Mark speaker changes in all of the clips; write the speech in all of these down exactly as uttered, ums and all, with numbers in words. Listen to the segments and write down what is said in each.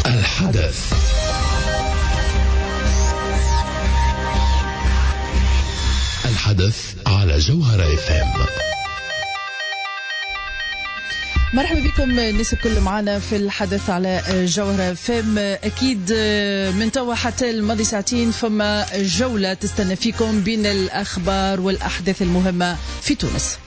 Speaker 1: الحدث. الحدث على جوهرة اف ام.
Speaker 2: مرحبا بكم الناس الكل معنا في الحدث على جوهرة اف ام. أكيد من توا حتى الماضي ساعتين فما جولة تستنى فيكم بين الأخبار والأحداث المهمة في تونس.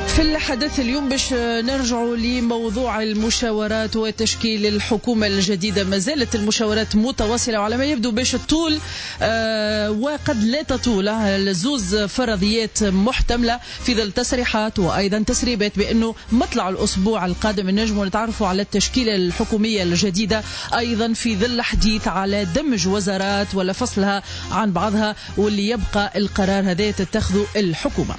Speaker 2: في الحدث اليوم باش نرجعوا لموضوع المشاورات وتشكيل الحكومة الجديدة. ما زالت المشاورات متواصلة وعلى ما يبدو باش تطول آه وقد لا تطول. الزوز فرضيات محتملة في ظل تصريحات وأيضا تسريبات بأنه مطلع الأسبوع القادم نجموا نتعرفوا على التشكيلة الحكومية الجديدة، أيضا في ظل حديث على دمج وزارات ولا فصلها عن بعضها، واللي يبقى القرار هذا تتخذه الحكومة.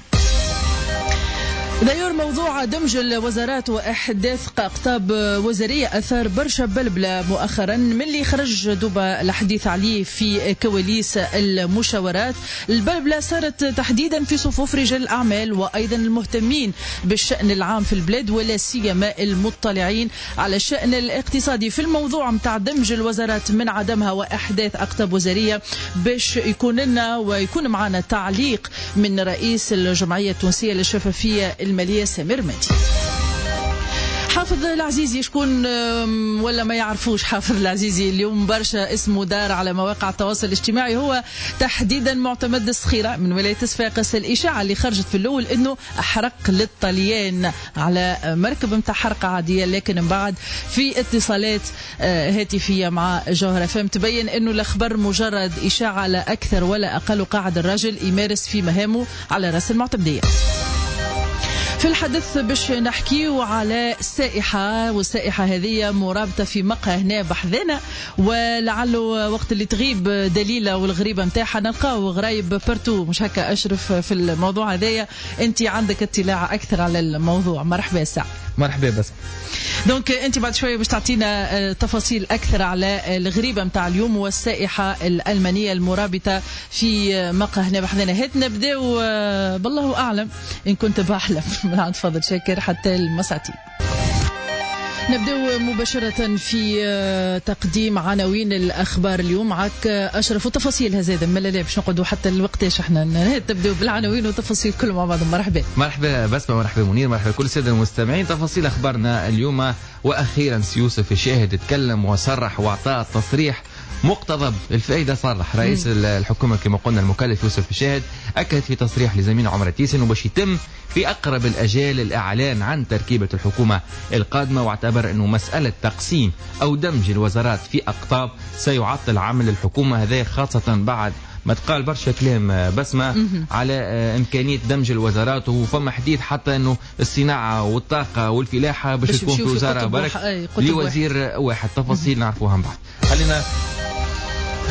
Speaker 2: دايور موضوع دمج الوزارات وإحداث أقطاب وزارية أثار برشا بلبلة مؤخرا من اللي خرج دوبا الحديث عليه في كواليس المشاورات. البلبلة صارت تحديدا في صفوف رجال الأعمال وأيضا المهتمين بالشأن العام في البلاد، ولا سيما المطلعين على الشأن الاقتصادي. في الموضوع متاع دمج الوزارات من عدمها وإحداث أقطاب وزارية باش يكون لنا ويكون معنا تعليق من رئيس الجمعية التونسية للشفافية المالية سمير مادي. حافظ العزيزي شكون ولا ما يعرفوش حافظ العزيزي؟ اليوم برشا اسمه دار على مواقع التواصل الاجتماعي، هو تحديدا معتمد الصخيرة من ولاية صفاقس. الإشاعة اللي خرجت في الأول انه أحرق للطليان على مركب متاع حرقة عادية، لكن من بعد في اتصالات هاتفية مع جوهرة فهم تبين انه الأخبار مجرد إشاعة لا أكثر ولا أقل، وقاعد الرجل يمارس في مهامه على رأس المعتمدية. في الحدث باش نحكيو على السائحة، والسائحة هذه مرابطة في مقهى هنا بحذنا، ولعله وقت اللي تغيب دليلة والغريبة متاعها نلقاو غرايب partout، مش هكا أشرف في الموضوع هذايا؟ أنت عندك اطلاع أكثر على الموضوع. مرحبا ساعة.
Speaker 3: مرحبا بس.
Speaker 2: donc أنت بعد شوية باش تعطينا تفاصيل أكثر على الغريبة متاع اليوم والسائحة الألمانية المرابطة في مقهى هنا بحذنا. هات نبداو بالله أعلم إن كنت بحلم من عند فضل شاكر حتى المساعتين. نبدأ مباشرة في تقديم عناوين الأخبار اليوم معك أشرف وتفاصيلها زادة. ما لا باش نقعدوا حتى الوقتاش احنا تبدأ بالعناوين وتفاصيل كل مع بعض. مرحبا.
Speaker 3: مرحبا بسمة، مرحبا منير، مرحبا كل السادة المستمعين. تفاصيل أخبارنا اليوم، وأخيرا سيوسف الشاهد تكلم وصرح وأعطى تصريح مقتضب الفائدة. صرح رئيس الحكومة كما قلنا المكلف يوسف الشاهد، أكد في تصريح لزميل عمر تيسن انه باش يتم في أقرب الأجال الإعلان عن تركيبة الحكومة القادمة، واعتبر أنه مسألة تقسيم أو دمج الوزارات في أقطاب سيعطل عمل الحكومة، هذا خاصة بعد ما تقال برشا كلام بسمة على إمكانية دمج الوزارات، وفما حديث حتى أنه الصناعة والطاقة والفلاحة باش تكون في وزارة برك لوزير واحد. تفاصيل نعرفوها من بعد. خلينا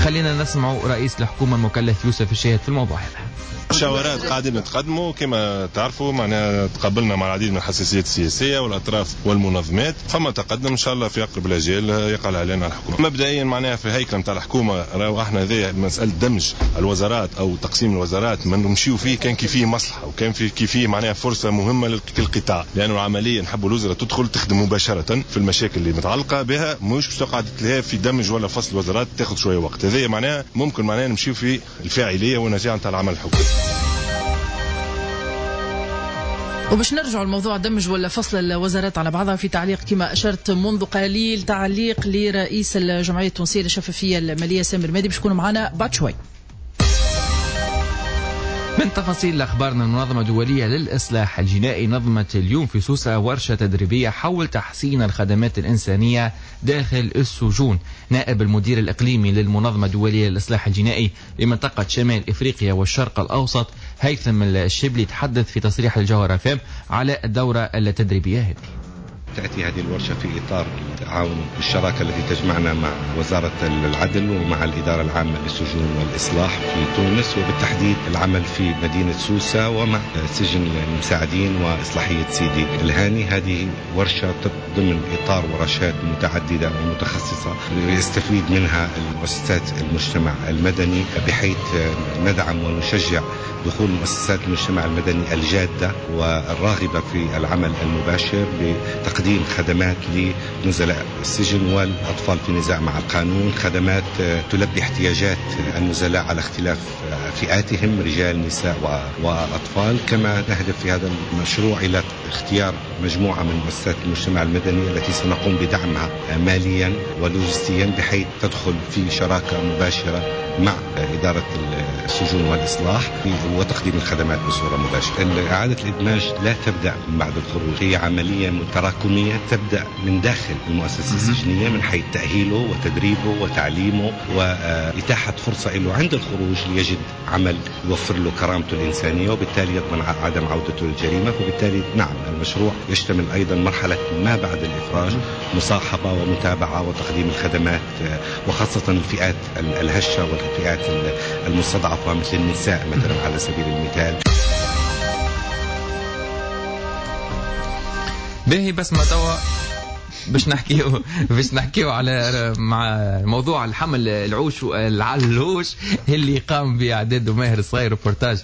Speaker 3: خلينا نسمع رئيس الحكومة المكلف يوسف الشاهد في الموضوع هذا.
Speaker 4: مشاورات قاعدين نتقدموا كما تعرفوا، معناها تقابلنا مع العديد من الحساسيات السياسية والاطراف والمنظمات، فما تقدم ان شاء الله في اقرب الاجال يقع الاعلان على الحكومة. مبدئيا معناها في الهيكله نتاع الحكومة راهو احنا هذه مسالة دمج الوزارات او تقسيم الوزارات ما نمشيو فيه كان كي فيه مصلحة وكان في كي فيه معناها فرصة مهمة للقطاع، لانه العملية نحبوا الوزراء تدخل تخدم مباشرة في المشاكل اللي متعلقه بها، مش باش تقعد تلهى في دمج ولا فصل الوزارات تاخذ شوية وقت. هذه معناها ممكن معناها نمشيو في الفاعلية والنجاعه نتاع العمل الحكومي.
Speaker 2: وباش نرجعوا لموضوع دمج ولا فصل الوزارات على بعضها، في تعليق كما أشرت منذ قليل، تعليق لرئيس الجمعية التونسية للشفافية المالية سمير مادي باش يكون معنا بعد شوي.
Speaker 3: من تفاصيل أخبارنا، المنظمة الدولية للإصلاح الجنائي نظمت اليوم في سوسة ورشة تدريبية حول تحسين الخدمات الإنسانية داخل السجون. نائب المدير الإقليمي للمنظمة الدولية للإصلاح الجنائي لمنطقة شمال إفريقيا والشرق الأوسط هيثم الشبلي تحدث في تصريح الجوهرة فام على الدورة التدريبية هذه.
Speaker 5: تأتي هذه الورشة في إطار التعاون والشراكة التي تجمعنا مع وزارة العدل ومع الإدارة العامة للسجون والإصلاح في تونس، وبالتحديد العمل في مدينة سوسة ومع سجن المساعدين وإصلاحية سيدي الهاني. هذه ورشة ضمن إطار ورشات متعددة ومتخصصة يستفيد منها مؤسسات المجتمع المدني، بحيث ندعم ونشجع دخول مؤسسات المجتمع المدني الجادة والراغبة في العمل المباشر بتقديم خدمات لنزلاء السجن والأطفال في نزاع مع القانون، خدمات تلبي احتياجات النزلاء على اختلاف فئاتهم، رجال نساء وأطفال. كما نهدف في هذا المشروع إلى اختيار مجموعة من مؤسسات المجتمع المدني التي سنقوم بدعمها ماليا ولوجستيا بحيث تدخل في شراكة مباشرة مع إدارة السجون والإصلاح وتقديم الخدمات بصورة مباشرة. إعادة الإدماج لا تبدأ من بعد الخروج، هي عملية تراكمية تبدأ من داخل المؤسسة السجنية، من حيث تأهيله وتدريبه وتعليمه وإتاحة فرصة له عند الخروج ليجد عمل يوفر له كرامته الإنسانية وبالتالي يضمن عدم عودته للجريمة. فبالتالي نعم المشروع يشتمل أيضا مرحلة ما بعد الإفراج، مصاحبة ومتابعة وتقديم الخدمات، وخاصة الفئات الهشة والفئات المستضعفة مثل النساء مثلا على سبيل المثال.
Speaker 3: باهي بس ما توا باش نحكيو باش نحكيو على مع موضوع الحمل العوش العلوش اللي قام باعداد ماهر الصغير، ريبورتاج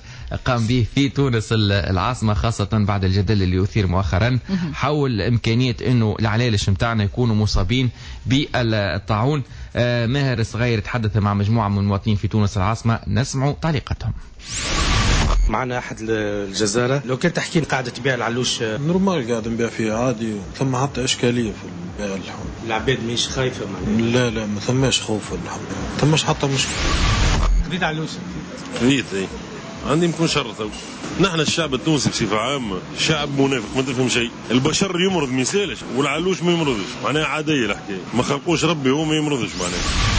Speaker 3: قام به في تونس العاصمة، خاصة بعد الجدل اللي اثير مؤخرا حول امكانية انه العلالش نتاعنا يكونوا مصابين بالطاعون. ماهر الصغير تحدث مع مجموعة من المواطنين في تونس العاصمة، نسمع تعليقاتهم.
Speaker 6: معنا احد الجزاره، لو كان تحكي قاعدة تبيع العلوش
Speaker 7: normal قاعد نبيع فيه عادي، ثم حتى اشكالية في بيع اللحم.
Speaker 6: العباد مش خايفة معناها؟
Speaker 7: لا لا ما ثماش خوف في اللحم، ما ثماش حتى مشكلة.
Speaker 6: خذيت علوش؟
Speaker 4: خذيت اي، عندي يمكن شر. نحن الشعب التونسي بصفة عامة شعب منافق، ما تفهم شيء. البشر يمرض ما يسالش والعلوش ما يمرضش، معناها عادية الحكاية، ما خلقوش ربي هو ما يمرضش معناها.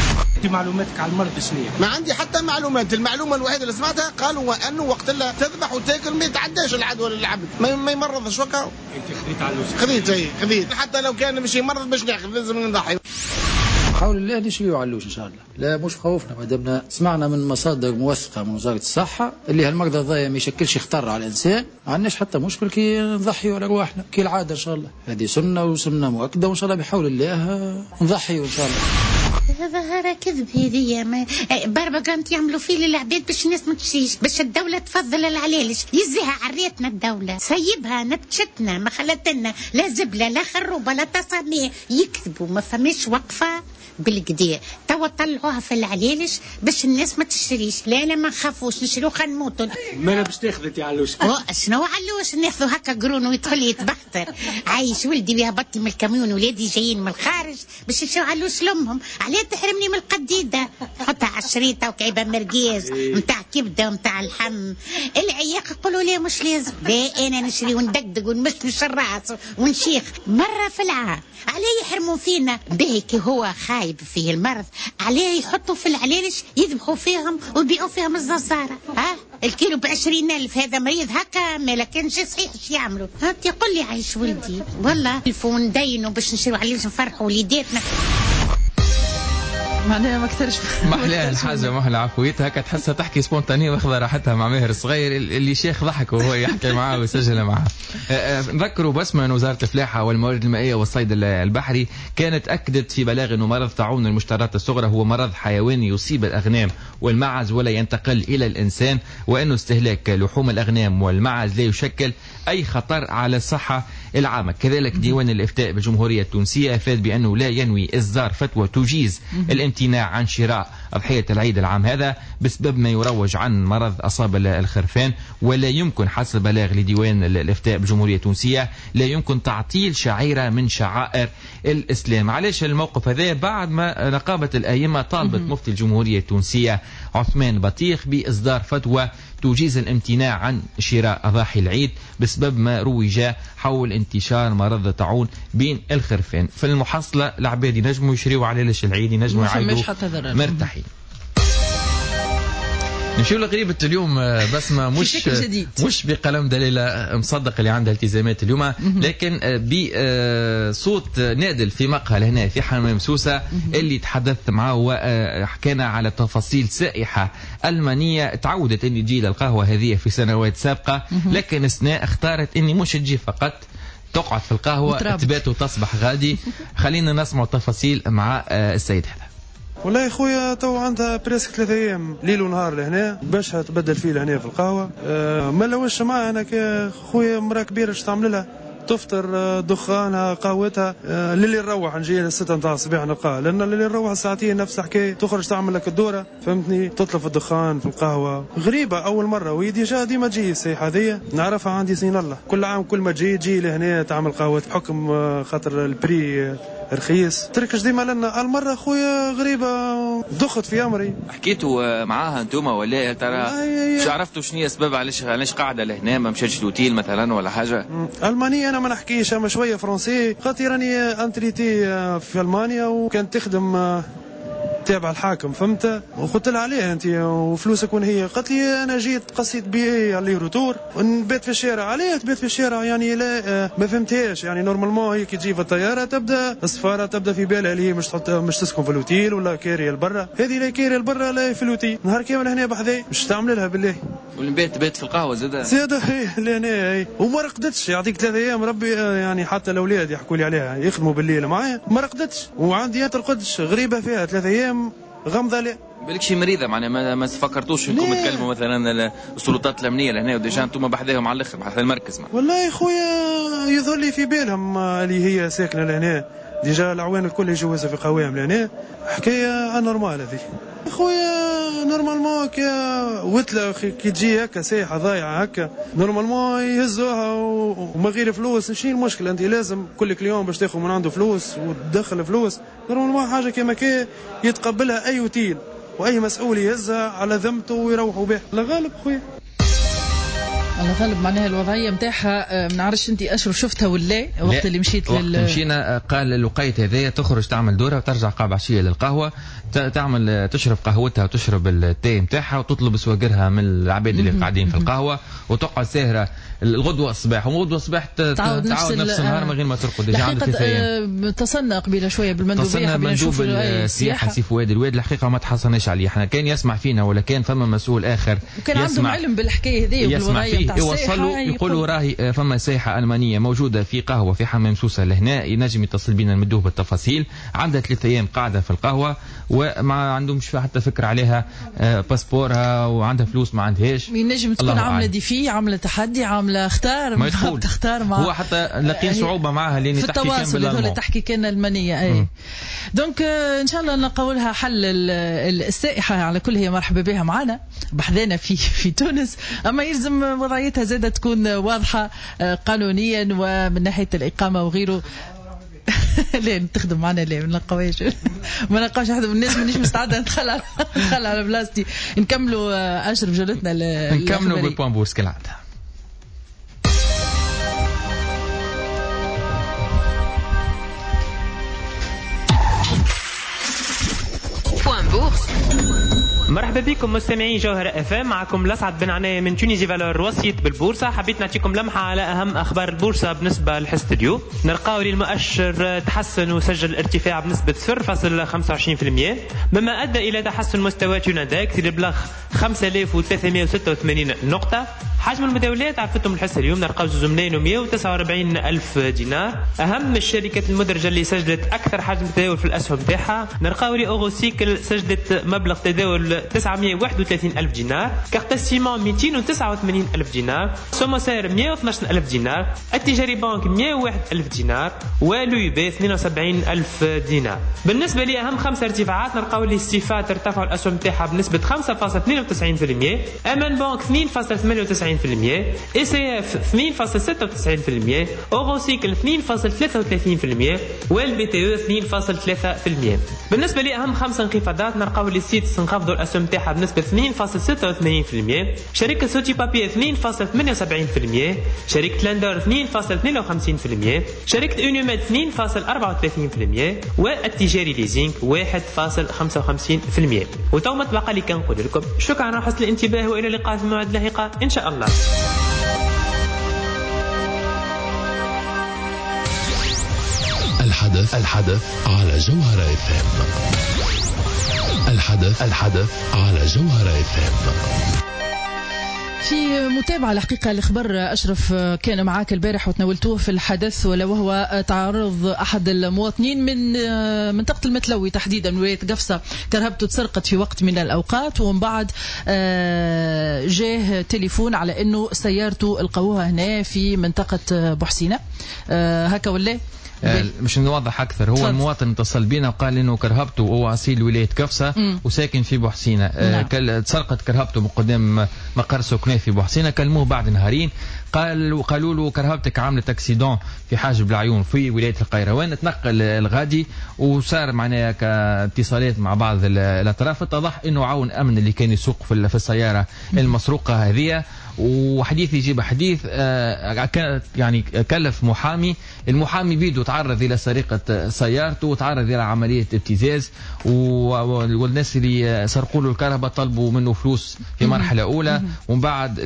Speaker 6: معلوماتك على المرض شنو؟
Speaker 8: ما عندي حتى معلومات، المعلومة الوحيدة اللي سمعتها قالوا انه وقت اللي تذبح وتاكل ما يتعداش العدوى للعبد، ما يمرضش وكا.
Speaker 6: انت خذيت علوش؟
Speaker 8: خذيت اي خذيت، حتى لو كان مش يمرض باش ناخذ لازم نضحي.
Speaker 9: حول الله نشريو علوش ان شاء الله، لا مش خوفنا، ما دامنا سمعنا من مصادر موثقة من وزارة الصحة اللي هالمرض هذايا ما يشكلش خطر على الانسان، ما عندناش حتى مشكل كي نضحيوا على ارواحنا كي العادة ان شاء الله، هذه سنة وسنة مؤكدة وان شاء الله بحول الله نضحيوا ان شاء الله.
Speaker 10: ظاهرة كذب هذيا، ما بارباغانت يعملوا فيه للعباد باش الناس ما تشريش، باش الدولة تفضل العلالش، يزيها عريتنا الدولة، سيبها نبتشتنا، ما خلتنا لا زبلة لا خروبة لا تصاميع، يكذبوا ما فماش وقفة بالكدا، توا طلعوها في العلالش باش الناس ما تشتريش. لا لا ما نخافوش نشريو خلينا نموتوا.
Speaker 6: ما انا باش تاخذ انت علوش؟
Speaker 10: شنو علوش ناخذوا هكا قرون ويدخل يتبختر، عايش ولدي ويهبط من الكاميون، ولادي جايين من الخارج باش يشريو علوش لامهم، علاه تحرمني من القديده؟ حطها على الشريطه وكعيبه مرقاز نتاع كبده ونتاع اللحم، العياق يقولوا لي مش لازم، لا انا نشري وندقدق ونمشمش الراس ونشيخ مرة في العام، علاه يحرموا فينا؟ باهي كي هو خايب فيه المرض، عليه يحطوا في العلالش يذبحوا فيهم ويبيعوا فيهم الززارة، ها الكيلو بعشرين ألف، هذا مريض هكا ما لكنش صحيح اش يعملوا؟ هانتي قل لي عايش ولدي والله الفون ندينوا باش نشريوا علالش نفرحوا وليداتنا.
Speaker 2: معناها ما اكثرش
Speaker 3: محلاها الحاجة، محلى عفويتها هكا تحسها تحكي spontanée واخذه راحتها مع ماهر الصغير اللي شيخ ضحك وهو يحكي معاه ويسجل معاه. نذكروا بس من وزارة الفلاحة والموارد المائية والصيد البحري كانت اكدت في بلاغ انه مرض طاعون المشترات الصغرى هو مرض حيواني يصيب الاغنام والمعز ولا ينتقل الى الانسان، وانه استهلاك لحوم الاغنام والمعز لا يشكل اي خطر على الصحة العامة. كذلك ديوان الافتاء بالجمهوريه التونسية افاد بانه لا ينوي اصدار فتوى تجيز الامتناع عن شراء أضحية العيد العام هذا بسبب ما يروج عن مرض أصاب الخرفان، ولا يمكن حسب بلاغ لديوان الإفتاء بالجمهورية التونسية لا يمكن تعطيل شعيرة من شعائر الإسلام. علاش الموقف هذا؟ بعد ما نقابة الأئمة طالبت مفتي الجمهورية التونسية عثمان بطيخ بإصدار فتوى تجيز الامتناع عن شراء أضاحي العيد بسبب ما روج حول انتشار مرض الطاعون بين الخرفان. في المحصلة العباد ينجموا يشريوا علالش العيد، ينجموا يعيدوا مرتاحين. نمشيو لغريبة اليوم بسمة، مش مش بقلم دليلة مصدق اللي عندها التزامات اليوم، لكن بصوت نادل في مقهى لهنا في حمام سوسة اللي تحدثت معه وحكينا على تفاصيل سائحة ألمانية تعودت أن تجي للقهوة هذه في سنوات سابقة، لكن السنة اختارت أني مش تجي فقط، تقعد في القهوة تبات وتصبح غادي. خلينا نسمع تفاصيل مع السيد هذا.
Speaker 7: والله يا خويا تو عندها presque ثلاثة ايام ليل ونهار لهنا باش تبدل فيه لهنا في القهوة. أه ما لوش معاها انا خويا مراة كبيرة اش تعمل لها؟ تفطر دخانها قهوتها. للي نروح نجي الستة نتاع الصباح نلقاها، لان للي نروح ساعتين نفس الحكاية، تخرج تعمل لك الدورة فهمتني، تطلب في الدخان في القهوة. غريبة اول مرة، وهي déjà ديما تجي السياحة هذيا نعرفها عندي سنين الله، كل عام كل ما تجي تجي لهنا تعمل قهوة بحكم خاطر ال prix رخيص، تركش ديما لنا. المرة خويا غريبة دخت في امري.
Speaker 3: حكيتوا معاها انتوما ولا ترى مش عرفتوا شنو هي السبب علاش علاش قاعدة لهنا ما مشاتش l'hôtel مثلا ولا حاجة؟
Speaker 7: المانية انا ما نحكيش، اما شوية français خاطر راني retraité في المانيا وكانت تخدم تابع الحاكم فهمت، وقلت لها عليها انت وفلوسك وين هي؟ قالت لي انا جيت قصيت billet aller-retour ونبات في الشارع. عليه تبات في الشارع يعني؟ لا ما فهمتهاش يعني. normalement هي كي تجي في الطيارة تبدا السفارة تبدا في بالها اللي هي مش تحط مش تسكن في l'hôtel ولا كاريه لبرا، هذه لا كاريه لبرا لا في l'hôtel، نهار كامل هنا بحذاي مش تعمل لها بالله.
Speaker 3: والبيت بات في القهوة زاده
Speaker 7: زاده هي لهنا هي وما رقدتش، يعطيك ثلاثة ايام ربي يعني. حتى الاولاد يحكوا لي عليها يخدموا بالليل معايا ما رقدتش، وعندي ترقدش غريبة فيها ثلاثة ايام غمضه. لا
Speaker 3: بالك شي مريضه معناها ما, ما فكرتوش انكم تكلموا مثلا السلطات الامنية لهنا و déjà انتم بحذاهم على الاخر بحذا المركز معنا.
Speaker 7: والله يا خويا يظهر لي في بالهم اللي هي ساكنة لهنا، déjà العوان الكل يجوزها في قوام لهنا، حكاية anormale هذه خويا. normalement كي وتله كي تجي هكا سايحه ضايعة هكا normalement يهزوها وما غير فلوس. شنو المشكلة؟ انت لازم كل client باش تاخذ من عنده فلوس وتدخل فلوس. normalement حاجة كيما كي يتقبلها اي اوتيل واي مسؤول يهزها على ذمته ويروحوا به. لا غالب خويا،
Speaker 2: على غالب معناها الوضعية نتاعها. ما نعرفش انت اشرف شفتها ولا وقت اللي مشيت
Speaker 3: وقت لل... مشينا قال الوقيت هذايا تخرج تعمل دوره وترجع قاب عشية للقهوة، تعمل تشرب قهوتها وتشرب التاي نتاعها وتطلب سواقرها من العباد اللي قاعدين في القهوة وتقعد ساهره الغدوه الصباح، وغدوه الصباح تعاود نفس, نفس النهار من غير ما ترقد. déjà عندك ثلاث ايام.
Speaker 2: اتصلنا قبيلة شوية بالمندوبيه،
Speaker 3: اتصلنا مندوب السياحة سي فؤاد الواد، الحقيقة ما تحصلناش عليه. احنا كان يسمع فينا ولا كان فما مسؤول اخر
Speaker 2: وكان عندهم علم بالحكاية هذه وبالوضعيه نتاع
Speaker 3: يوصلوا يقولوا راهي فما سايحه المانية موجودة في قهوة في حمام سوسة لهنا، ينجم يتصل بينا نمدوه بالتفاصيل. عندها ثلاث ايام قاعدة في القهوة وما عندهمش حتى فكرة عليها، passeport ها وعندها فلوس ما عندهاش.
Speaker 2: ينجم تكون عامله défi، عامله تحدي، عامله اختار
Speaker 3: ما يدخل.
Speaker 2: تختار مع
Speaker 3: هو حتى لاقين صعوبة معها لان
Speaker 2: تحكي كان بالالماني، تحكي كان المانية اي. donc ان شاء الله نلقاو لها حل السائحه. على كل هي مرحبا بها معنا بحذانا في في تونس، اما يلزم وضعيتها زادة تكون واضحة قانونيا ومن ناحية الاقامة وغيره. لا تخدم معنا لا ما نلقاوهاش، ما نلقاوش احد من الناس، مانيش مستعدة ندخل ندخل على بلاصتي. نكملوا اشرف جولتنا،
Speaker 3: نكملوا بال point bourse كالعادة.
Speaker 11: مرحبا بكم مستمعين جوهرة اف ام، معكم لسعد بن عناية من Tunisie Valeurs وسيط بالبورصة. حبيت نعطيكم لمحة على أهم أخبار البورصة بالنسبة لحصة اليوم. نلقاو المؤشر تحسن وسجل ارتفاع بنسبة صفر فاصلة خمسة وعشرين بالمئة، مما أدى إلى تحسن مستوى Tunindex اللي بلغ خمسة آلاف وثلاثمئة وستة وثمانين نقطة. حجم المتداولات عرفتم الحصة اليوم نلقاو زوج ملايين ومئة وتسعة وأربعين ألف دينار. أهم الشركات المدرجة اللي سجلت أكثر حجم تداول في الأسهم تاعها نلقاو لي Eurocycle سجلت مبلغ تداول تسعمئة وواحد وثلاثين ألف دينار، Carthage Ciment مئتين وتسعة وثمانين ألف دينار، Somocer مئة واثناش ألف دينار، التجاري بنك مئة وواحد ألف دينار، و l'U B اثنين وسبعين ألف دينار. بالنسبة لأهم خمسة ارتفاعات نلقاو لي الصفات ارتفعوا الأسهم تاعها بنسبة خمسة فاصلة اثنين وتسعين بالمئة، أمان بنك اثنين فاصلة ثمانية وتسعين بالمئة، E C F اثنين فاصلة ستة وتسعين بالمئة، Eurocycle اثنين فاصلة ثلاثة وثلاثين بالمئة، وال B T E اثنين فاصلة ثلاثة بالمئة. بالنسبة لأهم خمسة انخفاضات نلقاو لي سيتس انخفضوا الأسهم تاعها بنسبة اثنين فاصلة ستة وثمانين بالمئة، شركة Sotipapier اثنين فاصلة ثمانية وسبعين بالمئة، شركة Lendor اثنين فاصلة اثنين وخمسين بالمئة، شركة Unimed اثنين فاصلة أربعة وثلاثين بالمئة، والتجاري Leasing واحد فاصلة خمسة وخمسين بالمئة. وتو ما تبقى لي كنقول لكم شكرا على حسن الانتباه والى اللقاء في موعد لاحقة ان شاء الله.
Speaker 1: الحدث الحدث على جوهرة اف ام. الحدث الحدث على جوهرة اف ام.
Speaker 2: في متابعة الحقيقة الخبر أشرف كان معاك البارح وتناولتوه في الحدث، ولا وهو تعرض أحد المواطنين من منطقة المتلوي تحديدا ولاية قفصة، كرهبته تسرقت في وقت من الأوقات، ومن بعد جاه تليفون على أنه سيارته لقوها هنا في منطقة بوحسينة، هكا ولا؟
Speaker 3: مش نوضح أكثر، هو المواطن اتصل بينا وقال إنه كرهبته وهو أصيل ولاية قفصة وساكن في بوحسينة، نعم. تسرقت كرهبته من قدام مقر سكناه في بوحسينة. كلموه بعد نهارين قال قالوا له كرهبتك عملت accident في حاجب العيون في ولاية القيروان، تنقل الغادي وصار معناها كاتصالات مع بعض الأطراف، اتضح إنه عون أمن اللي كان يسوق في السيارة المسروقة هذه. وحديث يجيب حديث، كانت يعني كلف محامي، المحامي بيدو تعرض إلى سرقة سيارته وتعرض إلى عملية ابتزاز، والناس اللي سرقوا له الكهرباء طلبوا منه فلوس في مرحلة أولى، ومن بعد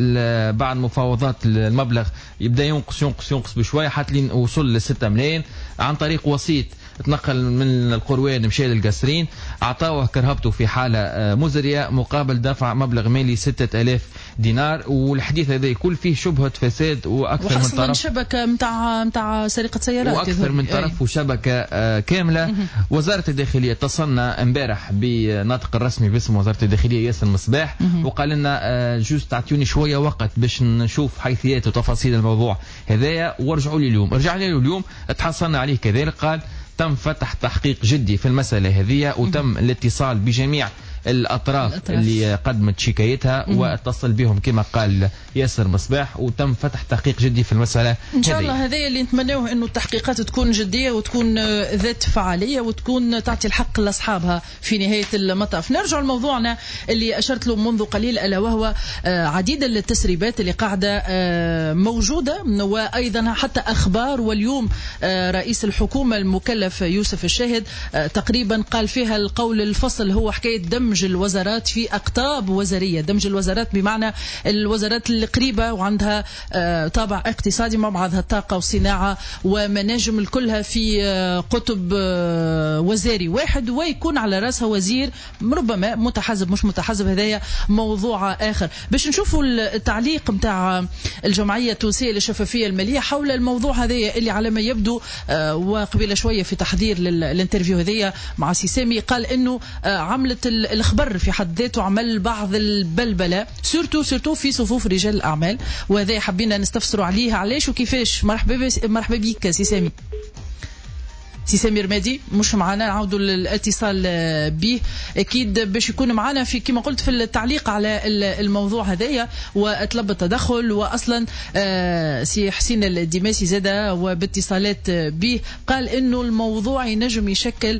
Speaker 3: بعد مفاوضات المبلغ يبدأ ينقص ينقص ينقص بشوية حتى لين وصل لستة ملايين عن طريق وسيط تنقل من القروان مشى للقصرين، أعطاوه كرهبته في حالة مزرية مقابل دفع مبلغ مالي ستة آلاف دينار. والحديث هذا يكون فيه شبهة فساد وأكثر من طرف،
Speaker 2: شبكة متاع متاع سرقة سيارات
Speaker 3: وأكثر من طرف وشبكة كاملة. وزارة الداخلية اتصلنا امبارح بناطق الرسمي باسم وزارة الداخلية ياسر مصباح، وقال لنا juste تعطوني شوية وقت باش نشوف حيثيات وتفاصيل الموضوع هذايا وارجعوا لي اليوم. رجعنا له اليوم تحصلنا عليه كذلك، قال تم فتح تحقيق جدي في المسألة هذه وتم الاتصال بجميع الأطراف, الأطراف اللي قدمت شكايتها واتصل بهم كما قال ياسر مصباح، وتم فتح تحقيق جدي في المسألة.
Speaker 2: إن شاء الله هذا اللي نتمناه، أنه التحقيقات تكون جدية وتكون ذات فعالية وتكون تعطي الحق لأصحابها في نهاية المطاف. نرجع لموضوعنا اللي أشرت له منذ قليل، ألا وهو عديد التسريبات اللي قاعدة موجودة وأيضا حتى أخبار. واليوم رئيس الحكومة المكلف يوسف الشاهد تقريبا قال فيها القول الفصل، هو حكاية دم دمج الوزارات في أقطاب وزارية. دمج الوزارات بمعنى الوزارات القريبة وعندها طابع اقتصادي مع بعضها، الطاقة والصناعة ومناجم كلها في قطب وزاري واحد، ويكون على رأسها وزير ربما متحزب مش متحزب، هذايا موضوع آخر. باش نشوفوا التعليق متاع الجمعية التونسية للشفافية المالية حول الموضوع هذايا اللي على ما يبدو وقبل شوية في تحضير لل interview هذايا مع سي سامي قال انه عملت الخبر في حد ذاته عمل بعض البلبلة surtout surtout في صفوف رجال الاعمال، وهذا حبينا نستفسروا عليه علاش وكيفاش. مرحبا مرحبا بك سي سامي. سي سامي رمادي مش معنا، نعاودوا الاتصال به اكيد باش يكون معنا في كما قلت في التعليق على الموضوع هذايا وطلب التدخل. واصلا سي حسين الدماسي زاد وباتصالات به قال انه الموضوع ينجم يشكل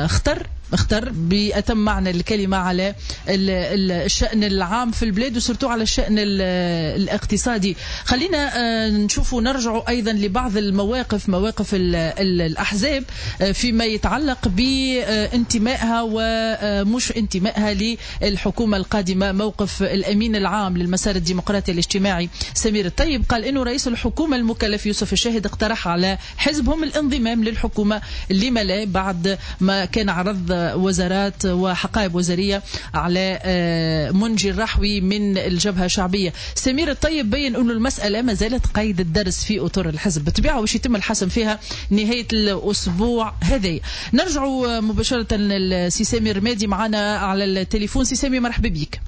Speaker 2: خطر اختر بأتم معنى الكلمة على الشأن العام في البلاد و surtout على الشأن الاقتصادي. خلينا نشوفوا نرجعوا أيضا لبعض المواقف، مواقف الأحزاب فيما يتعلق بانتمائها ومش انتمائها للحكومة القادمة. موقف الأمين العام للمسار الديمقراطي الاجتماعي سمير الطيب قال إنه رئيس الحكومة المكلف يوسف الشاهد اقترح على حزبهم الانضمام للحكومة لما لا بعد ما كان عرض وزارات وحقائب وزارية على منجي الرحوي من الجبهة الشعبية. سمير الطيب بين أن المسألة ما زالت قيد الدرس في أطر الحزب بالطبيعة وش يتم الحسم فيها نهاية الأسبوع هذا. نرجع مباشرة لسي سامي الرمادي معنا على التليفون. سي سامي مرحبا بك.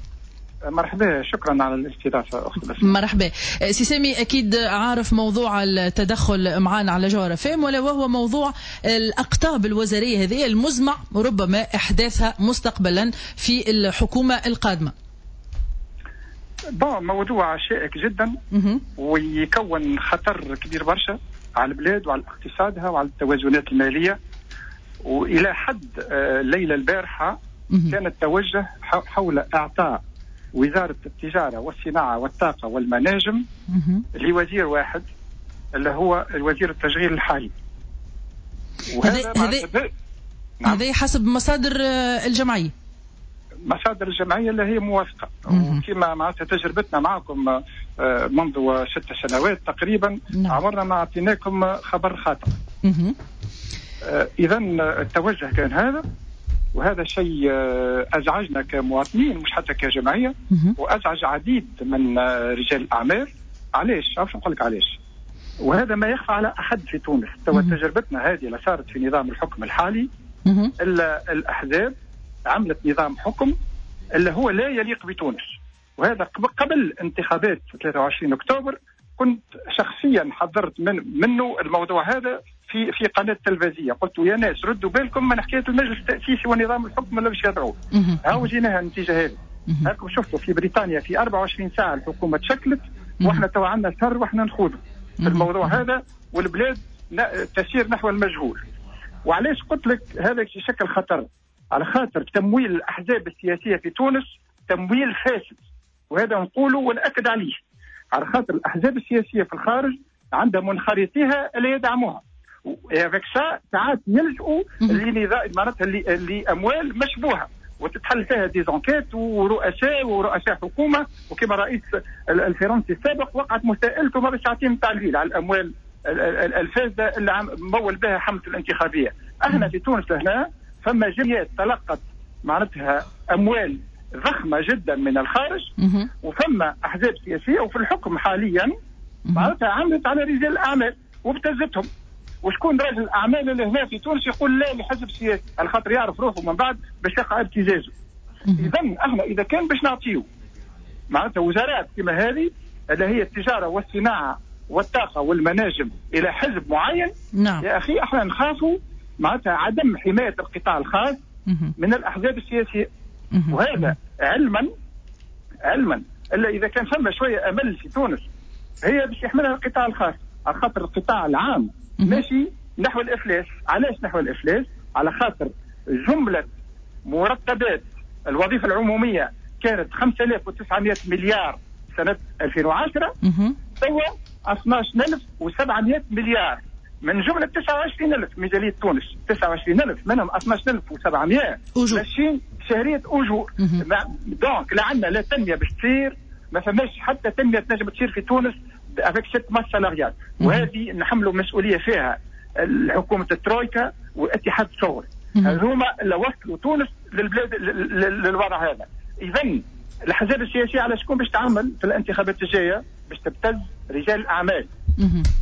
Speaker 12: مرحبا، شكرا على الاستضافة أخت بسمة.
Speaker 2: مرحبا سي سامي، أكيد عارف موضوع التدخل معنا على جوهرة فام، ولا وهو موضوع الأقطاب الوزارية هذه المزمع ربما إحداثها مستقبلا في الحكومة القادمة.
Speaker 12: bon موضوع شائك جدا ويكون خطر كبير برشا على البلاد وعلى اقتصادها وعلى التوازنات المالية. وإلى حد الليلة البارحة كان التوجه حول إعطاء وزارة التجارة والصناعة والطاقة والمناجم لوزير واحد اللي هو الوزير التشغيل الحالي.
Speaker 2: وهذا هذا هذا حسب مصادر الجمعية.
Speaker 12: مصادر الجمعية اللي هي موافقة، وكما معناتها تجربتنا معكم منذ ست سنوات تقريبا. نعم. عمرنا ما أعطيناكم خبر خاطئ. إذا التوجه كان هذا، وهذا شيء أزعجنا كمواطنين مش حتى كجمعية، وأزعج عديد من رجال الأعمال. علاش؟ عارف نقول لك علاش، وهذا ما يخفى على أحد في تونس. توا تجربتنا هذه اللي صارت في نظام الحكم الحالي، إلا الأحزاب عملت نظام حكم اللي هو لا يليق بتونس. وهذا قبل انتخابات ثلاثة وعشرين أكتوبر كنت شخصيا حضرت من منه الموضوع هذا في في قناة تلفزيونية، قلت يا ناس ردوا بالكم من حكاية المجلس التاسيسي ونظام الحكم اللي باش يضعوه. هاو جيناها النتيجة هذه. هاكم شفتوا في بريطانيا في أربعة وعشرين ساعة الحكومة تشكلت، واحنا تو عندنا شهر واحنا نخوضوا في الموضوع هذا، والبلاد تسير نحو المجهول. وعلاش قلت لك هذا يشكل خطر؟ على خاطر تمويل الاحزاب السياسية في تونس تمويل فاسد، وهذا نقوله ونأكد عليه. على خاطر الاحزاب السياسية في الخارج عندها منخرطيها اللي يدعموها، avec ça ساعات يلجؤوا لنظام معناتها لاموال مشبوهة وتتحل فيها des enquêtes ورؤساء ورؤساء حكومة، وكما رئيس الفرنسي السابق وقعت مساءلته ما ساعتين تاع الليل على الاموال الفاسدة اللي مول بها حمله الانتخابية. احنا في تونس هنا فما جمعيات تلقت معناتها اموال ضخمة جدا من الخارج، وفما احزاب سياسية وفي الحكم حاليا معناتها عملت على رجال الاعمال وابتزتهم. وشكون رجل الاعمال اللي هنا في تونس يقول لا لحزب سياسي؟ على خاطر يعرف روحه من بعد باش يقع ابتزازه. اذا احنا اذا كان باش نعطيو معناتها وزارات كما هذه اللي هي التجارة والصناعة والطاقة والمناجم الى حزب معين، نعم. يا اخي احنا نخافوا معناتها عدم حماية القطاع الخاص من الاحزاب السياسية. وهذا علما علما الا اذا كان فما شوية امل في تونس هي باش يحملها القطاع الخاص، على خاطر القطاع العام ماشي نحو الافلاس. علاش نحو الافلاس؟ على خاطر جملة مرتبات الوظيفة العمومية كانت خمسة آلاف وتسعمائة مليار سنة ألفين وعشرة، توا اثناش ألف وسبعمائة مليار، من جملة تسعة وعشرين ألف ميزانية تونس، تسعة وعشرين ألف منهم اثناش ألف وسبعمائة ماشيين شهرية اجور. donc لا عندنا لا تنمية باش تصير، ما فماش حتى تنمية تنجم تصير في تونس avec cette masse salariale. وهذه نحملوا مسؤولية فيها حكومة الترويكا واتحاد الشغل، هذوما اللي وصلوا تونس للبلاد للوضع هذا. اذا الاحزاب السياسية على شكون باش تعمل في الانتخابات الجاية؟ باش تبتز رجال الاعمال،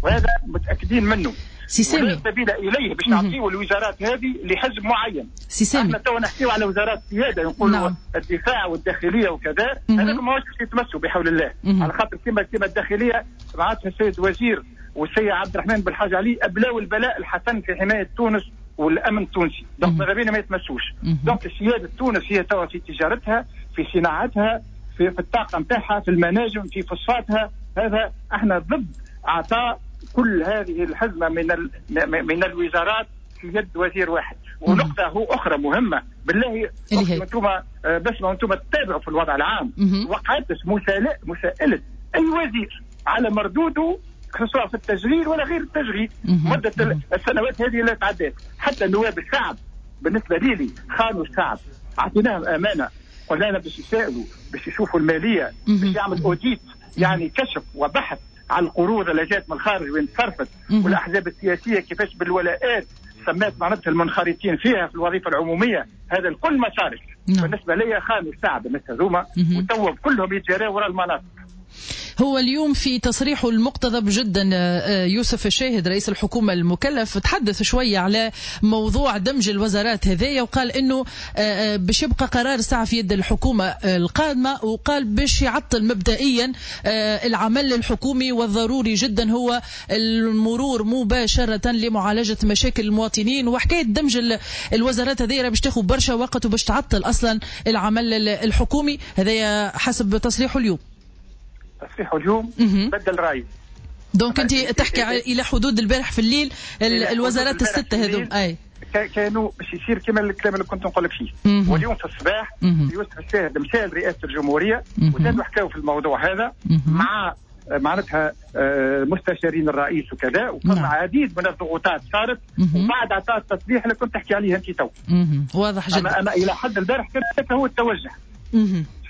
Speaker 12: وهذا متاكدين منه.
Speaker 2: سي سامي
Speaker 12: سبيل اليه باش نعطيو الوزارات هذه لحزب معين.
Speaker 2: سي سامي
Speaker 12: احنا تو نحكيو على وزارات سيادة، نقولوا نعم. الدفاع والداخليه وكذا، هذا ماهوش باش يتمسوا بحول الله. على خاطر كما كما الداخلية معناتها السيد وزير والسيد عبد الرحمن بالحاج علي ابلاو البلاء الحسن في حماية تونس والامن التونسي، donc ماذا بينا ما يتمسوش. donc سيادة تونس هي توا في تجارتها، في صناعتها، في, في الطاقة نتاعها، في المناجم، في فوسفاتها. هذا احنا ضد اعطاء كل هذه الحزمة من من الوزارات في يد وزير واحد. ونقطة هو اخرى مهمة بالله، انتم بس ما انتم تتابعوا في الوضع العام، وقعت مساءله مساءله اي وزير على مردودة سواء في التشغيل ولا غير التشغيل مده السنوات هذه اللي تعدت. حتى نواب الشعب بالنسبة لي خانوا الشعب، اعطيناهم امانه، قلنا لهم باش يسالوا، باش يشوفوا المالية، باش يعمل audit، يعني كشف وبحث على القروض اللي جات من الخارج وين تصرفت، والاحزاب السياسية كيفاش بالولاءات سمات معناتها المنخرطين فيها في الوظيفة العمومية. هذا الكل ما صارش. بالنسبة لي خانوا الشعب الناس هذوما، وتوا كلهم يتجاراوا وراء المناصب.
Speaker 2: هو اليوم في تصريحه المقتضب جدا يوسف الشاهد رئيس الحكومة المكلف تحدث شوية على موضوع دمج الوزارات هذايا، وقال انه باش يبقى قرار الساعة في يد الحكومة القادمة، وقال باش يعطل مبدئيا العمل الحكومي، والضروري جدا هو المرور مباشرة لمعالجة مشاكل المواطنين. وحكاية دمج الوزارات هذايا باش تاخذ برشا وقت وباش تعطل اصلا العمل الحكومي، هذايا حسب تصريحه اليوم.
Speaker 12: تصريحه اليوم بدل رايه.
Speaker 2: donc انت تحكي الى حدود البارح في الليل الوزارات الستة هذوم اي
Speaker 12: كانوا باش يصير كما الكلام اللي كنت نقول لك فيه. واليوم في الصباح يوسف الشاهد مشى لرئاسة الجمهورية وزادوا حكاوا في الموضوع هذا مع معناتها مستشارين الرئيس وكذا، وفما عديد من الضغوطات صارت، وبعد عطاء التصريح اللي كنت تحكي عليه انت تو.
Speaker 2: واضح جدا.
Speaker 12: اما, أما الى حد البارح كان هو التوجه.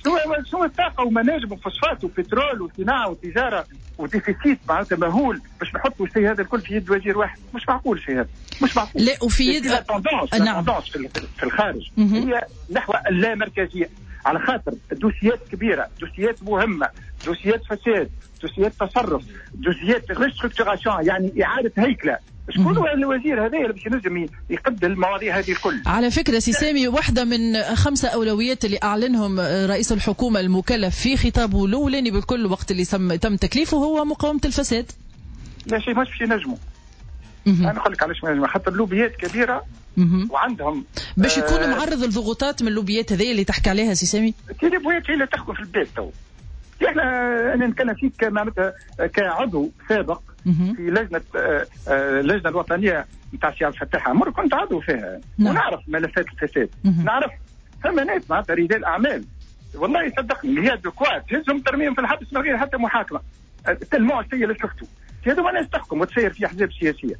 Speaker 12: شنو شنو الطاقة ومناجم وفوسفات وبترول وصناعة وتجارة و déficit معناتها مهول باش نحطوا الشيء هذا الكل في يد وزير واحد؟ مش معقول الشيء هذا، مش معقول.
Speaker 2: لا وفي يد
Speaker 12: la tendance، la tendance في الخارج هي نحو اللامركزيه، على خاطر دوسيات كبيرة، دوسيات مهمة، دوسيات فساد، دوسيات تصرف، دوسيات restructuration يعني اعاده هيكله. شكون هو الوزير هذا اللي باش ينجم يقد المواضيع هذه الكل؟
Speaker 2: على فكرة سي سامي، واحدة من خمسة اولويات اللي اعلنهم رئيس الحكومة المكلف في خطابه الاولاني بالكل وقت اللي تم تكليفه هو مقاومة الفساد.
Speaker 12: لا شيء مش باش ينجموا. انا نقول لك علاش ما ينجموا، خاطر لوبيات كبيرة وعندهم
Speaker 2: باش يكون معرض للضغوطات من اللوبيات هذه اللي تحكي عليها سي سامي.
Speaker 12: اللوبيات هي اللي تحكم في البلاد تو. احنا انا نتكلم فيك معناتها كعضو سابق في لجنة اللجنة الوطنية نتاع سي عبد الفتاح عمر، كنت عضو فيها. نعم. ونعرف ملفات الفساد. نعرف فما ناس معناتها رجال اعمال والله صدقني هي de quoi تهزهم ترميهم في الحبس من غير حتى محاكمة، tellement الشيء اللي شفته. هذوما ناس تحكم وتسير في احزاب سياسية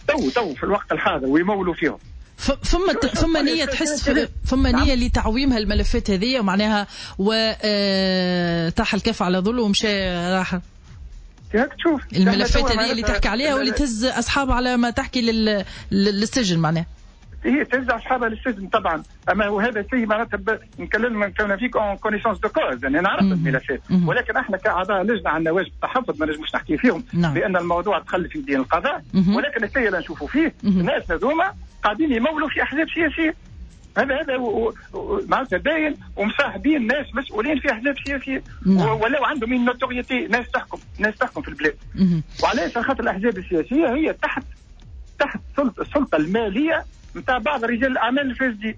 Speaker 12: تو تو في الوقت الحاضر ويمولوا فيهم.
Speaker 2: فما فما نية تحس، فما نية لتعويم هالملفات هذه معناها، وطاح الكف على ظله ومشى راح.
Speaker 12: تشوف
Speaker 2: الملفات هذه اللي تحكي عليها واللي تهز اصحابها على ما تحكي لل... للسجن معناها.
Speaker 12: هي تهز اصحابها للسجن طبعا، اما هو هذا الشيء معناتها نكلم نتكلم فيك en connaissance de cause، يعني نعرف الملفات، ولكن احنا كاعضاء لجنة عندنا واجب التحفظ، ما نجموش نحكي فيهم. نعم. لان الموضوع دخل في دين القضاء. ولكن الشيء اللي نشوفوا فيه الناس هذوما قاعدين يمولوا في احزاب سياسية. هذا هذا معناتها باين، ومصاحبين ناس مسؤولين في احزاب سياسية. نعم. ولو عندهم une notoriété، ناس تحكم، ناس تحكم في البلاد. وعلاش؟ خاطر الاحزاب السياسية هي تحت تحت السلطة المالية نتاع بعض رجال الاعمال الفاسدين،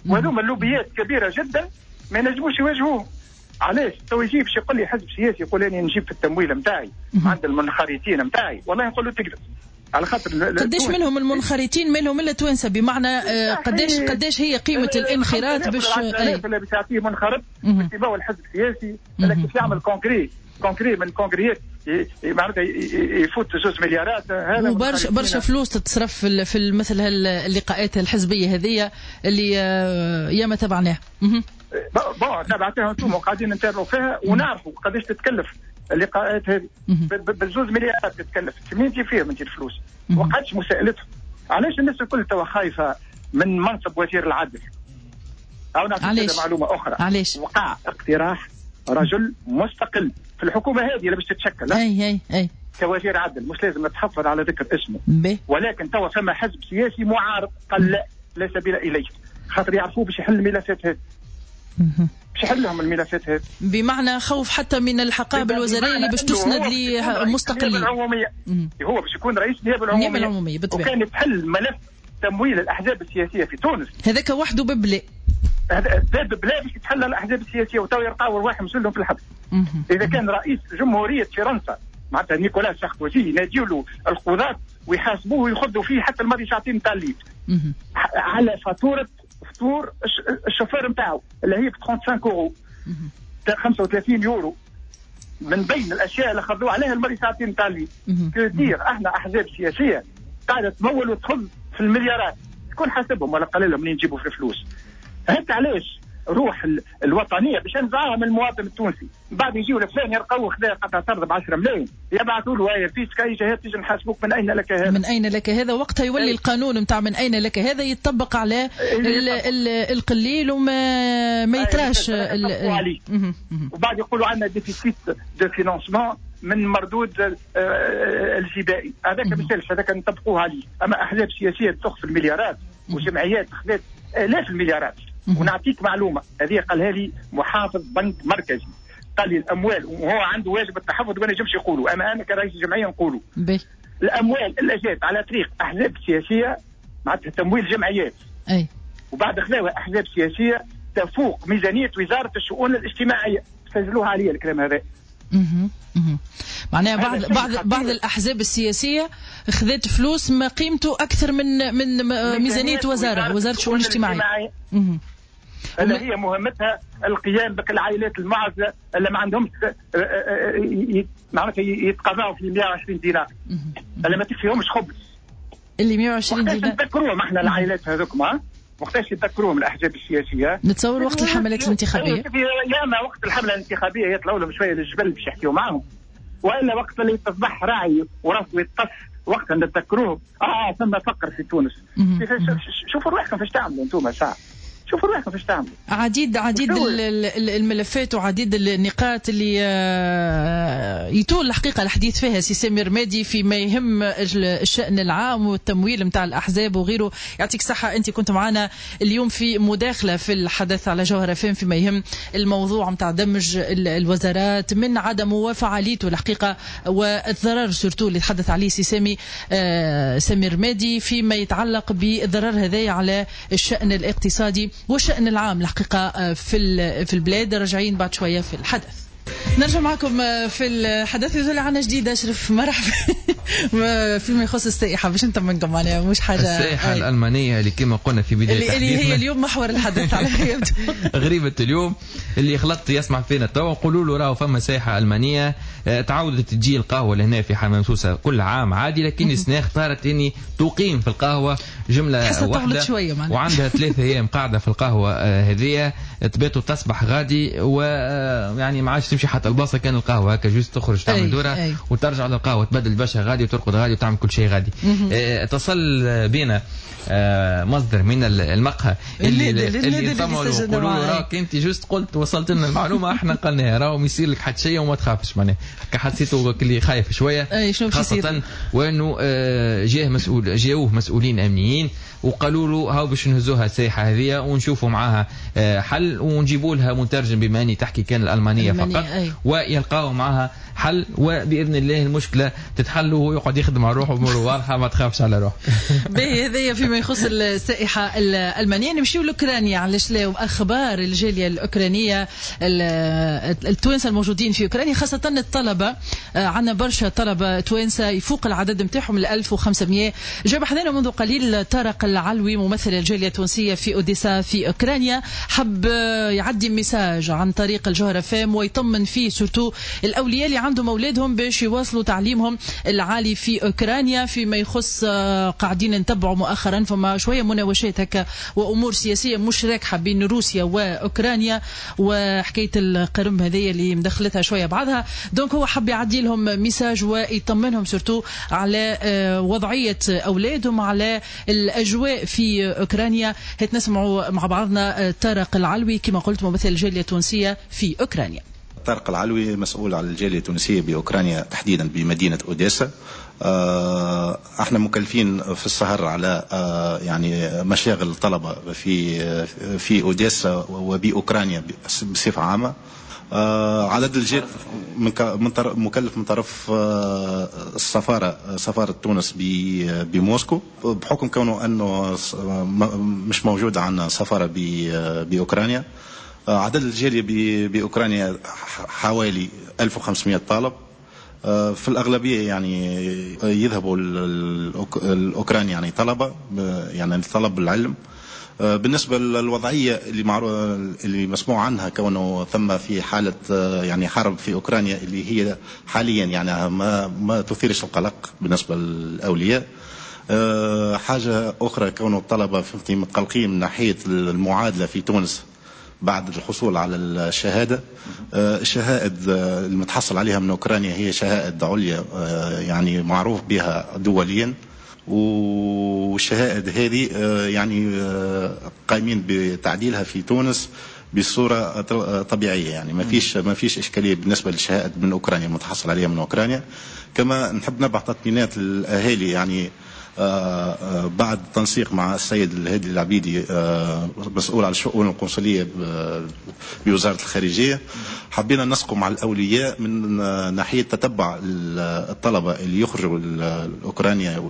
Speaker 12: وهذوما اللوبيات كبيرة جدا ما ينجموش يواجهوهم. علاش؟ تو يجي باش يقول لي حزب سياسي يقول اني نجيب في التمويل نتاعي عند المنخرطين نتاعي، والله نقول له تكذب. على خاطر
Speaker 2: قداش منهم المنخرطين منهم الا توانسة، بمعنى قداش قداش هي قيمة الانخراط باش
Speaker 12: اللي باش يعطيه منخرط باش يباوع الحزب السياسي، لكن باش يعمل congrès congrès من الكونغريات معناتها يفوت زوج مليارات. هذا
Speaker 2: وبرشا برشا فلوس تتصرف في في مثل هاللقاءات الحزبية هذه اللي ياما تبعناها.
Speaker 12: bon تبعتها انتم وقاعدين نتابعوا فيها ونعرفوا قداش تتكلف اللقاءات هذه، بالزوز مليارات تتكلف. منين تجي فيهم انت الفلوس؟ وقعدش مساءلتهم. علاش الناس الكل توا خايفة من منصب وزير العدل؟ او نعطيك معلومة اخرى.
Speaker 2: علاش؟
Speaker 12: وقع اقتراح رجل مستقل في الحكومة هذه اللي باش تتشكل
Speaker 2: اي اي اي
Speaker 12: كوزير عدل، مش لازم نتحفظ على ذكر اسمه.
Speaker 2: بي.
Speaker 12: ولكن توا فما حزب سياسي معارض قال لا لا سبيل اليه، خاطر يعرفوه باش يحل الملفات هذه. باش يحل لهم الملفات هذه،
Speaker 2: بمعنى خوف حتى من الحقائب الوزارية اللي باش تسند لمستقلين.
Speaker 12: العمومية هو باش يكون رئيس النيابة العمومية،
Speaker 2: النيابة العمومية بالطبع.
Speaker 12: وكان تحل ملف تمويل الاحزاب السياسية في تونس
Speaker 2: هذاك وحده ببلاء،
Speaker 12: هذا باب بلا باش يتحلى الاحزاب السياسية وتو يلقاو رواحهم كلهم في الحبس. اذا كان رئيس جمهورية فرنسا معناتها نيكولا ساركوزي يناديوا له القضاة ويحاسبوه ويخذوا فيه حتى الماضي ساعتين تاع الليل على فاتورة فطور الشوفير نتاعو اللي هي ب خمسة وثلاثين اورو خمسة وثلاثين يورو، من بين الاشياء اللي خذوه عليها الماضي ساعتين تاع الليل. كثير احنا احزاب سياسية قاعدة تمول وتخذ في المليارات، شكون حاسبهم ولا قال لهم منين يجيبوا في الفلوس؟ هات علاش روح الوطنية باش نزعها من المواطن التونسي. بعد يجيو لفلان يلقاو خذا قطعه ارض ب عشرة ملايين يبعثوا له هاي فيسكا يجي تيجي نحاسبوك من اين لك هذا؟
Speaker 2: من اين لك هذا؟ وقتها يولي أي. القانون نتاع من اين لك هذا يتطبق على ال ال القليل وما ما يتراش
Speaker 12: عليه. وبعد يقولوا عندنا déficit de financement من مردود الجبائي، هذاك ما يسالش، هذاك نطبقوه عليه. اما احزاب سياسية تخفي المليارات وجمعيات خذت الاف المليارات. ونعطيك معلومة هذه قالها لي محافظ بنك مركزي، قال لي الاموال، وهو عنده واجب التحفظ وما نجمش يقولوا، اما انا كرئيس الجمعية نقولوا الاموال اللي جات على طريق احزاب سياسية معناتها تمويل جمعيات،
Speaker 2: اي
Speaker 12: وبعد خذاوها احزاب سياسية تفوق ميزانية وزارة الشؤون الاجتماعية. سجلوها علي الكلام هذا.
Speaker 2: اها اها معناها بعض بعض بعض الاحزاب السياسية خذت فلوس ما قيمته اكثر من من ميزانية وزارة وزارة الشؤون الاجتماعية.
Speaker 12: اللي هي مهمتها القيام بك العائلات المعزله اللي ما عندهمش معناتها يتقاضاو في مئة وعشرين دينار، اللي ما تكفيهمش خبز
Speaker 2: اللي مئة وعشرين دينار.
Speaker 12: نذكروهم احنا العائلات هذوك. وقتاش يتذكروهم الاحزاب السياسية؟
Speaker 2: نتصور وقت الحملات الانتخابية.
Speaker 12: يا اما وقت الحملة الانتخابية يطلعوا لهم شوية للجبل باش يحكيوا معهم، والا وقت اللي تصبح راعي وراسه يتقص وقتها نتذكروهم. اه ثم فقر في تونس. شوفوا روحكم فاش تعملوا انتم ساعة، شوفوا روحكم فاش تعملوا.
Speaker 2: عديد عديد الملفات وعديد النقاط اللي يطول الحقيقة الحديث فيها سي سامي رمادي فيما يهم الشأن العام والتمويل نتاع الاحزاب وغيره. يعطيك صحة، انت كنت معنا اليوم في مداخله في الحدث على جوهرة فهم فيما يهم الموضوع نتاع دمج الوزارات من عدمه وفعاليته الحقيقة والضرر surtout اللي تحدث عليه سي سامي سامي رمادي فيما يتعلق بالضرر هذايا على الشأن الاقتصادي والشأن العام الحقيقة في في البلاد. راجعين بعد شوية في الحدث. نرجع معكم في الحدث. يزول عنا جديد أشرف، مرحبا. فيما يخص السائحة باش انت منكم معناها مش حاجة
Speaker 3: السائحة الألمانية اللي كما قلنا في بداية
Speaker 2: اللي, اللي هي اليوم محور الحدث على يبدو.
Speaker 3: غريبة اليوم اللي خلطت يسمع فينا توا نقولوا له راهو فما سائحة ألمانية تعودت تجي القهوة لهنا في حمام سوسة كل عام عادي، لكن السنة اختارت اني تقيم في القهوة جملة واحدة وعندها ثلاثة أيام قاعدة في القهوة هذية تبات وتصبح غادي، ويعني ما عادش تمشي حتى البلاصة كان القهوة هكا juste تخرج تعمل دوره وترجع للقهوة تبدل باشا غادي وترقد غادي وتعمل كل شيء غادي. اتصل بينا مصدر من المقهى اللي اللي اللي يقولوا له راك انت juste قلت وصلت لنا المعلومة احنا قلناها، راهو ما يصير لك حتى شيء وما تخافش. معناها هكا حسيته اللي خايف شوية، خاصة وانه جاه مسؤول جاوه مسؤولين امنيين وقالوا له هاو باش نهزوها السائحه هذه ونشوفوا معاها حل ونجيبوا لها مترجم بما اني تحكي كان الالمانية فقط، ويلقاو معها حل وباذن الله المشكلة تتحل وهو يقعد يخدم على روحه اموره واضحة ما تخافش على روحك.
Speaker 2: باهي، هذايا فيما يخص السائحه الالمانية. نمشيو لاوكرانيا، علاش لا؟ اخبار الجالية الاوكرانية التوانسة الموجودين في اوكرانيا خاصة الطلبة، عندنا برشا طلبه توانسة يفوق العدد نتاعهم ال ألف وخمسمية. جاب حذانا منذ قليل طارق العلوي ممثل الجالية التونسية في اوديسا في اوكرانيا، حب يعدي message عن طريق الجوهرة فام ويطمن فيه surtout الاولياء اللي عندهم اولادهم باش يواصلوا تعليمهم العالي في اوكرانيا. فيما يخص قاعدين نتبعوا مؤخرا فما شوية مناوشات هكا وامور سياسية مش راكحه بين روسيا واوكرانيا وحكاية القرم هذه اللي مدخلتها شوية بعضها، donc هو حب يعدي لهم message ويطمنهم surtout على وضعية اولادهم على الاجواء في اوكرانيا. هات نسمعوا مع بعضنا طارق العلوي كما قلت ممثل الجالية التونسية في اوكرانيا.
Speaker 13: طارق العلوي مسؤول على الجالية التونسية بأوكرانيا تحديدا بمدينة أوديسا. احنا مكلفين في السهر على يعني مشاغل الطلبة في في أوديسا وبأوكرانيا بصفة عامة. عدد الجالية من مكلف من طرف السفارة سفارة تونس بموسكو، بحكم كونه أنه مش موجود عندنا سفارة بأوكرانيا. عدد الجالية بأوكرانيا حوالي ألف وخمسمية طالب، في الأغلبية يعني يذهبوا الأوكرانيا يعني طلبة يعني طلب العلم. بالنسبة للوضعية اللي معروف اللي مسموع عنها كونه ثم في حالة يعني حرب في أوكرانيا اللي هي حاليا يعني ما ما تثيرش القلق بالنسبة للأولياء. حاجة أخرى كونه الطلبة فهمتي متقلقين من ناحية المعادلة في تونس بعد الحصول على الشهادة. الشهائد المتحصل عليها من أوكرانيا هي شهائد عليا يعني معروف بها دوليا، والشهائد هذه يعني قايمين بتعديلها في تونس بصورة طبيعية، يعني ما فيش ما فيش إشكالية بالنسبة للشهائد من أوكرانيا المتحصل عليها من أوكرانيا. كما نحب نبعث تطمينات للأهالي يعني بعد تنسيق مع السيد الهادي العبيدي مسؤول على الشؤون القنصلية بوزارة الخارجية، حبينا نسقوا مع الأولياء من ناحية تتبع الطلبة اللي يخرجوا لأوكرانيا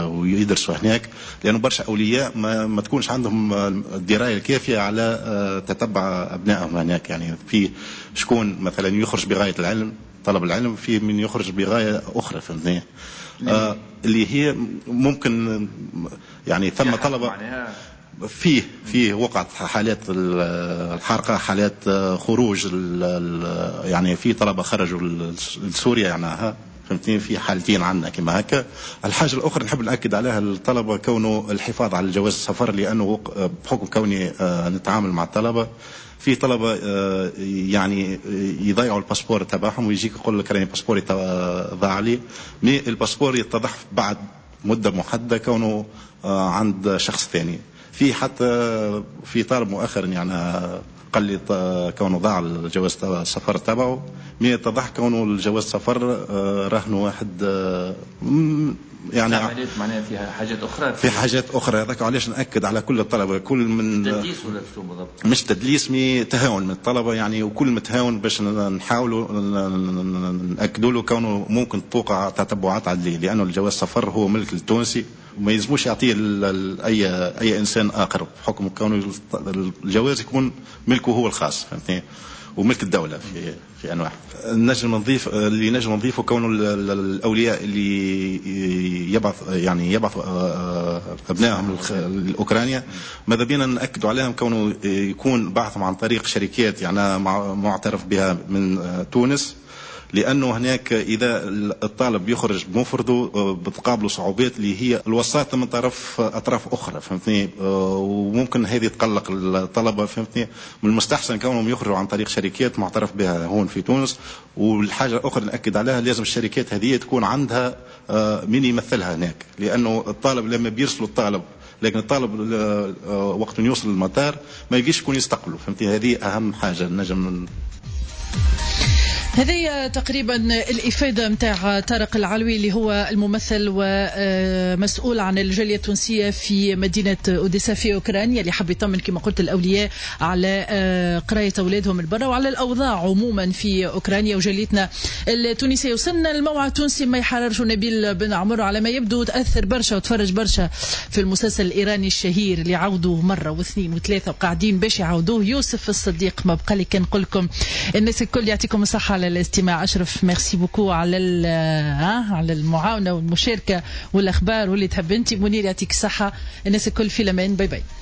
Speaker 13: ويدرسوا هناك، لأنه برشا أولياء ما, ما تكونش عندهم الدراية الكافية على تتبع أبنائهم هناك. يعني في شكون مثلا يخرج بغاية العلم طلب العلم، في من يخرج بغاية أخرى، فهمتني؟ آه اللي هي ممكن يعني ثم طلبة فيه فيه وقعت حالات الحرقة، حالات خروج، يعني في طلبة خرجوا لسوريا يعني فهمتني؟ في حالتين عندنا كما هكا. الحاجة الاخرى نحب ناكد عليها الطلبة كونه الحفاظ على الجواز السفر، لانه بحكم كوني نتعامل مع الطلبة، في طلبه يعني يضيعوا ال passeport تبعهم ويجيك يقول لك راني passeport ي ضاع لي، mais ال passeport يتضح بعد مده محددة كونه عند شخص ثاني. في حتى في طالب مؤخرا يعني قال لي كونه ضاع الجواز السفر تبعه، mais اتضح كونه الجواز السفر رهنه واحد يعني
Speaker 3: عمليات معناها فيها حاجات اخرى،
Speaker 13: في حاجات اخرى. هذاك علاش ناكد على كل الطلبة، كل من
Speaker 3: تدليس ولا شو بالضبط؟
Speaker 13: مش تدليس، mais تهاون من الطلبة يعني، وكل متهاون باش نحاولوا ناكدوا له كونه ممكن توقع تتبعات عدليه، لانه الجواز السفر هو ملك التونسي وما يلزموش يعطيه اي اي انسان اخر، بحكم كونه الجواز يكون ملكه هو الخاص، فهمتني؟ وملك الدولة في في أنواع. نجم نضيف اللي نجم نضيفه كونه الأولياء اللي يبعث يعني يبعث أبنائهم لأوكرانيا، ماذا بينا نأكدوا عليهم كونه يكون بعثهم عن طريق شركات يعني معترف بها من تونس، لأنه هناك إذا الطالب يخرج بمفرده بتقابله صعوبات اللي هي الوساطة من طرف أطراف أخرى، فهمتني؟ وممكن هذه تقلق الطلبة، فهمتني؟ من المستحسن كونهم يخرجوا عن طريق شركات معترف بها هون في تونس. والحاجة الأخرى نأكد عليها، لازم الشركات هذه تكون عندها مين يمثلها هناك، لأنه الطالب لما بيرسلوا الطالب، لكن الطالب وقت يوصل للمطار ما يجيش يكون يستقبله، فهمتني؟ هذه أهم حاجة نجم.
Speaker 2: هذه تقريبا الإفادة متاع طارق العلوي اللي هو الممثل ومسؤول عن الجالية التونسية في مدينة أوديسا في أوكرانيا، اللي حب يطمن كما قلت الأولياء على قراية أولادهم البرة وعلى الأوضاع عموما في أوكرانيا وجاليتنا التونسية. وصلنا الموعد التونسي ما يحررش نبيل بن عمر، على ما يبدو تأثر برشا وتفرج برشا في المسلسل الإيراني الشهير اللي عودوه مرة واثنين وثلاثة وقاعدين باش يعودوه، يوسف الصديق. ما بقى لي كان نقول لكم الناس الكل يعطيكم الصحة على الاستماع. أشرف merci beaucoup على على المعاونة والمشاركة والأخبار واللي تحب أنت. منير يعطيك الصحة. الناس الكل في الأمان، bye bye.